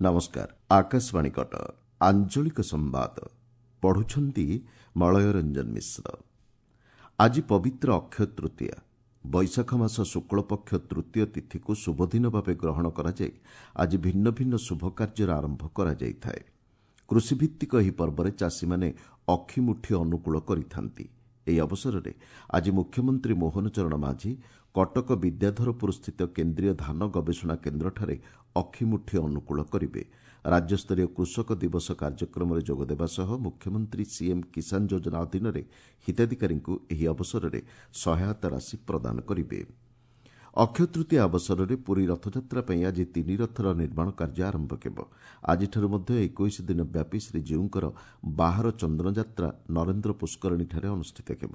ନମସ୍କାର, ଆକାଶବାଣୀ କଟକ। ଆଞ୍ଚଳିକ ସମ୍ବାଦ ପଢୁଛନ୍ତି ମଳୟ ରଞ୍ଜନ ମିଶ୍ର। ଆଜି ପବିତ୍ର ଅକ୍ଷୟ ତୃତୀୟା। ବୈଶାଖ ମାସ ଶୁକ୍ଳପକ୍ଷ ତୃତୀୟ ତିଥିକୁ ଶୁଭଦିନ ଭାବେ ଗ୍ରହଣ କରାଯାଇ ଆଜି ଭିନ୍ନ ଭିନ୍ନ ଶୁଭ କାର୍ଯ୍ୟର ଆରମ୍ଭ କରାଯାଇଥାଏ। କୃଷିଭିତ୍ତିକ ଏହି ପର୍ବରେ ଚାଷୀମାନେ ଅକ୍ଷିମୁଠି ଅନୁକୂଳ କରିଥାନ୍ତି। ଏହି ଅବସରରେ ଆଜି ମୁଖ୍ୟମନ୍ତ୍ରୀ ମୋହନ ଚରଣ ମାଝୀ କଟକ ବିଦ୍ୟାଧରପୁରସ୍ଥିତ କେନ୍ଦ୍ରୀୟ ଧାନ ଗବେଷଣା କେନ୍ଦ୍ରଠାରେ ଅକ୍ଷିମୁଠି ଅନୁକୂଳ କରିବେ। ରାଜ୍ୟସ୍ତରୀୟ କୃଷକ ଦିବସ କାର୍ଯ୍ୟକ୍ରମରେ ଯୋଗଦେବା ସହ ମୁଖ୍ୟମନ୍ତ୍ରୀ ସିଏମ୍ କିଷାନ ଯୋଜନା ଅଧୀନରେ ହିତାଧିକାରୀଙ୍କୁ ଏହି ଅବସରରେ ସହାୟତା ରାଶି ପ୍ରଦାନ କରିବେ। ଅକ୍ଷୟ ତୃତୀୟା ଅବସରରେ ପୁରୀ ରଥଯାତ୍ରା ପାଇଁ ଆଜି ତିନି ରଥର ନିର୍ମାଣ କାର୍ଯ୍ୟ ଆରମ୍ଭ ହେବ। ଆଜିଠାରୁ ମଧ୍ୟ 21 ଦିନ ବ୍ୟାପୀ ଶ୍ରୀଜୀଉଙ୍କର ବାହାର ଚନ୍ଦନଯାତ୍ରା ନରେନ୍ଦ୍ର ପୁଷ୍କରିଣୀଠାରେ ଅନୁଷ୍ଠିତ ହେବ।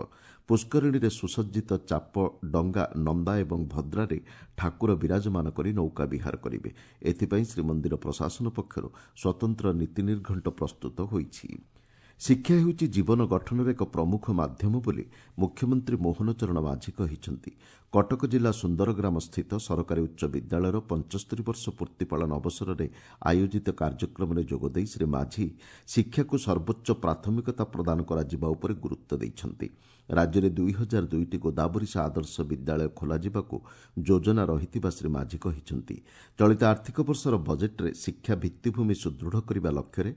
ପୁଷ୍କରିଣୀରେ ସୁସଜ୍ଜିତ ଚାପ ଡଙ୍ଗା ନନ୍ଦା ଏବଂ ଭଦ୍ରାରେ ଠାକୁର ବିରାଜମାନ କରି ନୌକା ବିହାର କରିବେ। ଏଥିପାଇଁ ଶ୍ରୀମନ୍ଦିର ପ୍ରଶାସନ ପକ୍ଷରୁ ସ୍ୱତନ୍ତ୍ର ନୀତି ନିର୍ଘଣ୍ଟ ପ୍ରସ୍ତୁତ ହୋଇଛି। ଶିକ୍ଷା ହେଉଛି ଜୀବନ ଗଠନର ଏକ ପ୍ରମୁଖ ମାଧ୍ୟମ ବୋଲି ମୁଖ୍ୟମନ୍ତ୍ରୀ ମୋହନ ଚରଣ ମାଝୀ କହିଛନ୍ତି। କଟକ ଜିଲ୍ଲା ସୁନ୍ଦରଗ୍ରାମ ସ୍ଥିତ ସରକାରୀ ଉଚ୍ଚ ବିଦ୍ୟାଳୟର 75 ବର୍ଷ ପୂର୍ତ୍ତି ପାଳନ ଅବସରରେ ଆୟୋଜିତ କାର୍ଯ୍ୟକ୍ରମରେ ଯୋଗଦେଇ ଶ୍ରୀ ମାଝୀ ଶିକ୍ଷାକୁ ସର୍ବୋଚ୍ଚ ପ୍ରାଥମିକତା ପ୍ରଦାନ କରାଯିବା ଉପରେ ଗୁରୁତ୍ୱ ଦେଇଛନ୍ତି। ରାଜ୍ୟରେ 2002ଟି ଗୋଦାବରୀଶ ଆଦର୍ଶ ବିଦ୍ୟାଳୟ ଖୋଲାଯିବାକୁ ଯୋଜନା ରହିଥିବା ଶ୍ରୀ ମାଝୀ କହିଛନ୍ତି। ଚଳିତ ଆର୍ଥିକ ବର୍ଷର ବଜେଟ୍ରେ ଶିକ୍ଷା ଭିତ୍ତିଭୂମି ସୁଦୃଢ଼ କରିବା ଲକ୍ଷ୍ୟରେ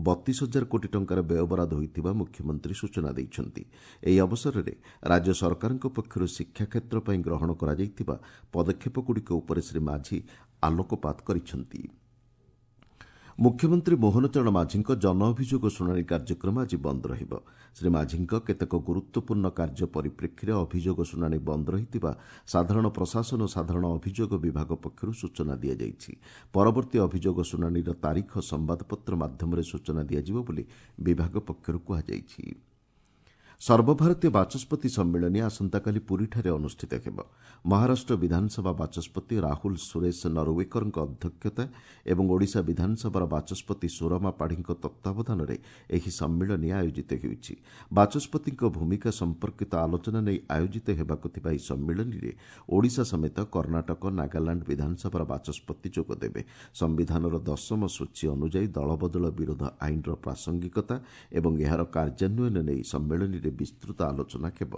32 ହଜାର କୋଟି ଟଙ୍କାର ବ୍ୟୟବରାଦ ହୋଇଥିବା ମୁଖ୍ୟମନ୍ତ୍ରୀ ସୂଚନା ଦେଇଛନ୍ତି। ଏହି ଅବସରରେ ରାଜ୍ୟ ସରକାରଙ୍କ ପକ୍ଷରୁ ଶିକ୍ଷା କ୍ଷେତ୍ର ପାଇଁ ଗ୍ରହଣ କରାଯାଇଥିବା ପଦକ୍ଷେପଗୁଡ଼ିକ ଉପରେ ଶ୍ରୀ ମାଝୀ ଆଲୋକପାତ କରିଛନ୍ତି। ମୁଖ୍ୟମନ୍ତ୍ରୀ ମୋହନ ଚରଣ ମାଝୀଙ୍କ ଜନ ଅଭିଯୋଗ ଶୁଣାଣି କାର୍ଯ୍ୟକ୍ରମ ଆଜି ବନ୍ଦ ରହିବ। ଶ୍ରୀ ମାଝୀଙ୍କ କେତେକ ଗୁରୁତ୍ୱପୂର୍ଣ୍ଣ କାର୍ଯ୍ୟ ପରିପ୍ରେକ୍ଷୀରେ ଅଭିଯୋଗ ଶୁଣାଣି ବନ୍ଦ ରହିଥିବା ସାଧାରଣ ପ୍ରଶାସନ ଓ ସାଧାରଣ ଅଭିଯୋଗ ବିଭାଗ ପକ୍ଷରୁ ସୂଚନା ଦିଆଯାଇଛି। ପରବର୍ତ୍ତୀ ଅଭିଯୋଗ ଶୁଣାଣିର ତାରିଖ ସମ୍ବାଦପତ୍ର ମାଧ୍ୟମରେ ସୂଚନା ଦିଆଯିବ ବୋଲି ବିଭାଗ ପକ୍ଷରୁ କୁହାଯାଇଛି। ସର୍ବଭାରତୀୟ ବାଚସ୍ପତି ସମ୍ମିଳନୀ ଆସନ୍ତାକାଲି ପୁରୀଠାରେ ଅନୁଷ୍ଠିତ ହେବ। ମହାରାଷ୍ଟ୍ର ବିଧାନସଭା ବାଚସ୍ପତି ରାହୁଲ ସୁରେଶ ନରୱେକରଙ୍କ ଅଧ୍ୟକ୍ଷତା ଏବଂ ଓଡ଼ିଶା ବିଧାନସଭାର ବାଚସ୍ପତି ସୁରମା ପାଢ଼ୀଙ୍କ ତତ୍ତ୍ୱାବଧାନରେ ଏହି ସମ୍ମିଳନୀ ଆୟୋଜିତ ହେଉଛି। ବାଚସ୍ପତିଙ୍କ ଭୂମିକା ସମ୍ପର୍କିତ ଆଲୋଚନା ନେଇ ଆୟୋଜିତ ହେବାକୁ ଥିବା ଏହି ସମ୍ମିଳନୀରେ ଓଡ଼ିଶା ସମେତ କର୍ଣ୍ଣାଟକ, ନାଗାଲାଣ୍ଡ ବିଧାନସଭାର ବାଚସ୍ପତି ଯୋଗଦେବେ। ସମ୍ବିଧାନର ଦଶମ ସୂଚୀ ଅନୁଯାୟୀ ଦଳବଦଳ ବିରୋଧ ଆଇନର ପ୍ରାସଙ୍ଗିକତା ଏବଂ ଏହାର କାର୍ଯ୍ୟାନ୍ୱୟନ ନେଇ ସମ୍ମିଳନୀରେ ବିସ୍ତୃତ ଆଲୋଚନା ହେବ।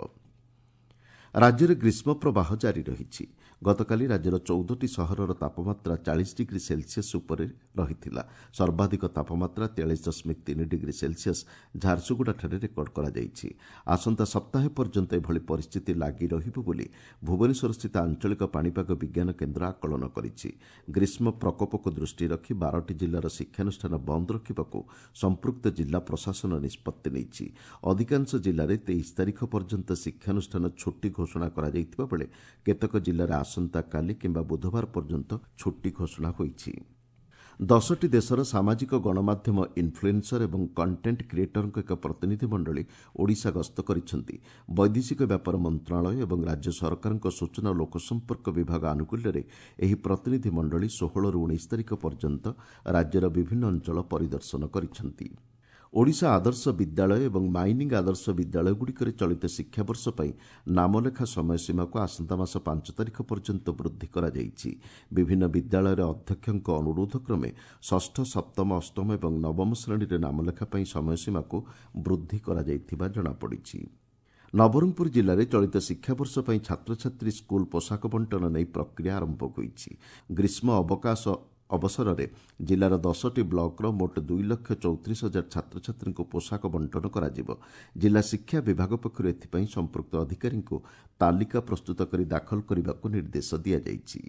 ରାଜ୍ୟରେ ଗ୍ରୀଷ୍ମ ପ୍ରବାହ ଜାରି ରହିଛି। ଗତକାଲି ରାଜ୍ୟର 14ଟି ସହରର ତାପମାତ୍ରା 40 ଡିଗ୍ରୀ ସେଲସିୟସ୍ ଉପରେ ରହିଥିଲା। ସର୍ବାଧିକ ତାପମାତ୍ରା 43.3 ଡିଗ୍ରୀ ସେଲସିୟସ୍ ଝାରସୁଗୁଡ଼ାଠାରେ ରେକର୍ଡ କରାଯାଇଛି। ଆସନ୍ତା ସପ୍ତାହେ ପର୍ଯ୍ୟନ୍ତ ଏଭଳି ପରିସ୍ଥିତି ଲାଗି ରହିବ ବୋଲି ଭୁବନେଶ୍ୱରସ୍ଥିତ ଆଞ୍ଚଳିକ ପାଣିପାଗ ବିଜ୍ଞାନ କେନ୍ଦ୍ର ଆକଳନ କରିଛି। ଗ୍ରୀଷ୍ମ ପ୍ରକୋପକୁ ଦୃଷ୍ଟିରେ ରଖି 12ଟି ଜିଲ୍ଲାର ଶିକ୍ଷାନୁଷ୍ଠାନ ବନ୍ଦ ରଖିବାକୁ ସମ୍ପୃକ୍ତ ଜିଲ୍ଲା ପ୍ରଶାସନ ନିଷ୍ପତ୍ତି ନେଇଛି। ଅଧିକାଂଶ ଜିଲ୍ଲାରେ 23 ତାରିଖ ପର୍ଯ୍ୟନ୍ତ ଶିକ୍ଷାନୁଷ୍ଠାନ ଛୁଟି ଘୋଷଣା କରାଯାଇଥିବା ବେଳେ କେତେକ ଜିଲ୍ଲାରେ ଆସନ୍ତାକାଲି କିମ୍ବା ବୁଧବାର ପର୍ଯ୍ୟନ୍ତ ଛୁଟି ଘୋଷଣା ହୋଇଛି। 10ଟି ଦେଶର ସାମାଜିକ ଗଣମାଧ୍ୟମ ଇନ୍ଫ୍ଲୁଏନ୍ସର ଏବଂ କଣ୍ଟେଣ୍ଟ କ୍ରିଏଟରଙ୍କ ଏକ ପ୍ରତିନିଧି ମଣ୍ଡଳୀ ଓଡ଼ିଶା ଗସ୍ତ କରିଛନ୍ତି। ବୈଦେଶିକ ବ୍ୟାପାର ମନ୍ତ୍ରଣାଳୟ ଏବଂ ରାଜ୍ୟ ସରକାରଙ୍କ ସୂଚନା ଓ ଲୋକସମ୍ପର୍କ ବିଭାଗ ଆନୁକୂଲ୍ୟରେ ଏହି ପ୍ରତିନିଧି ମଣ୍ଡଳୀ 16ରୁ 19 ତାରିଖ ପର୍ଯ୍ୟନ୍ତ ରାଜ୍ୟର ବିଭିନ୍ନ ଅଞ୍ଚଳ ପରିଦର୍ଶନ କରିଛନ୍ତି। ଓଡ଼ିଶା ଆଦର୍ଶ ବିଦ୍ୟାଳୟ ଏବଂ ମାଇନିଂ ଆଦର୍ଶ ବିଦ୍ୟାଳୟଗୁଡ଼ିକରେ ଚଳିତ ଶିକ୍ଷାବର୍ଷ ପାଇଁ ନାମଲେଖା ସମୟସୀମାକୁ ଆସନ୍ତା ମାସ 5 ତାରିଖ ପର୍ଯ୍ୟନ୍ତ ବୃଦ୍ଧି କରାଯାଇଛି। ବିଭିନ୍ନ ବିଦ୍ୟାଳୟର ଅଧ୍ୟକ୍ଷଙ୍କ ଅନୁରୋଧ କ୍ରମେ ଷଷ୍ଠ, ସପ୍ତମ, ଅଷ୍ଟମ ଏବଂ ନବମ ଶ୍ରେଣୀରେ ନାମଲେଖା ପାଇଁ ସମୟସୀମାକୁ ବୃଦ୍ଧି କରାଯାଇଥିବା ଜଣାପଡ଼ିଛି। ନବରଙ୍ଗପୁର ଜିଲ୍ଲାରେ ଚଳିତ ଶିକ୍ଷାବର୍ଷ ପାଇଁ ଛାତ୍ରଛାତ୍ରୀ ସ୍କୁଲ ପୋଷାକ ବଣ୍ଟନ ନେଇ ପ୍ରକ୍ରିୟା ଆରମ୍ଭ ହୋଇଛି। ଗ୍ରୀଷ୍ମ ଅବକାଶ ଅବସରରେ ଜିଲ୍ଲାର 10ଟି ବ୍ଲକର ମୋଟ 2,34,000 ଛାତ୍ରଛାତ୍ରୀଙ୍କୁ ପୋଷାକ ବଣ୍ଟନ କରାଯିବ। ଜିଲ୍ଲା ଶିକ୍ଷା ବିଭାଗ ପକ୍ଷରୁ ଏଥିପାଇଁ ସମ୍ପୃକ୍ତ ଅଧିକାରୀଙ୍କୁ ତାଲିକା ପ୍ରସ୍ତୁତ କରି ଦାଖଲ କରିବାକୁ ନିର୍ଦ୍ଦେଶ ଦିଆଯାଇଛି।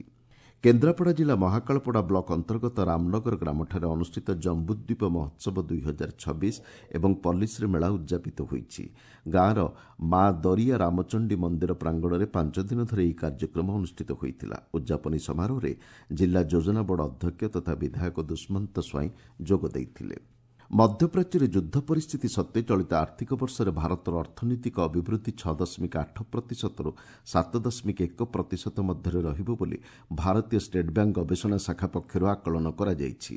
କେନ୍ଦ୍ରାପଡ଼ା ଜିଲ୍ଲା ମହାକାଳପଡ଼ା ବ୍ଲକ ଅନ୍ତର୍ଗତ ରାମନଗର ଗ୍ରାମଠାରେ ଅନୁଷ୍ଠିତ ଜମ୍ବୁଦ୍ୱୀପ ମହୋତ୍ସବ 2026 ଏବଂ ପଲ୍ଲୀଶ୍ରୀ ମେଳା ଉଦ୍ଯାପିତ ହୋଇଛି। ଗାଁର ମା ଦରିଆ ରାମଚଣ୍ଡୀ ମନ୍ଦିର ପ୍ରାଙ୍ଗଣରେ 5 ଦିନ ଧରି ଏହି କାର୍ଯ୍ୟକ୍ରମ ଅନୁଷ୍ଠିତ ହୋଇଥିଲା। ଉଦ୍ଯାପନୀ ସମାରୋହରେ ଜିଲ୍ଲା ଯୋଜନା ବୋର୍ଡ ଅଧ୍ୟକ୍ଷ ତଥା ବିଧାୟକ ଦୁଷ୍ମନ୍ତ ସ୍ୱାଇଁ ଯୋଗ ଦେଇଥିଲେ। ମଧ୍ୟପ୍ରାଚ୍ୟରେ ଯୁଦ୍ଧ ପରିସ୍ଥିତି ସତ୍ତ୍ୱେ ଚଳିତ ଆର୍ଥିକ ବର୍ଷରେ ଭାରତର ଅର୍ଥନୈତିକ ଅଭିବୃଦ୍ଧି 6.8 ପ୍ରତିଶତରୁ 7.1 ପ୍ରତିଶତ ମଧ୍ୟରେ ରହିବ ବୋଲି ଭାରତୀୟ ଷ୍ଟେଟ୍ ବ୍ୟାଙ୍କ ଗବେଷଣା ଶାଖା ପକ୍ଷରୁ ଆକଳନ କରାଯାଇଛି।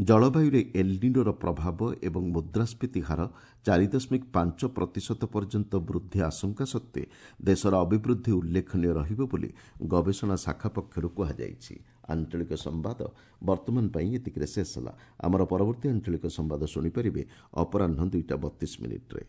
ଜଳବାୟୁରେ ଏଲ୍ନିନୋର ପ୍ରଭାବ ଏବଂ ମୁଦ୍ରାସ୍ଫୀତି ହାର 4.5 ପ୍ରତିଶତ ପର୍ଯ୍ୟନ୍ତ ବୃଦ୍ଧି ଆଶଙ୍କା ସତ୍ତ୍ୱେ ଦେଶର ଅଭିବୃଦ୍ଧି ଉଲ୍ଲେଖନୀୟ ରହିବ ବୋଲି ଗବେଷଣା ଶାଖା ପକ୍ଷରୁ କୁହାଯାଇଛି। ଆଞ୍ଚଳିକ ସମ୍ବାଦ ବର୍ତ୍ତମାନ ପାଇଁ ଏତିକିରେ ଶେଷ ହେଲା। ଆମର ପରବର୍ତ୍ତୀ ଆଞ୍ଚଳିକ ସମ୍ବାଦ ଶୁଣିପାରିବେ ଅପରାହ୍ନ 2ଟା 32 ମିନିଟ୍ରେ।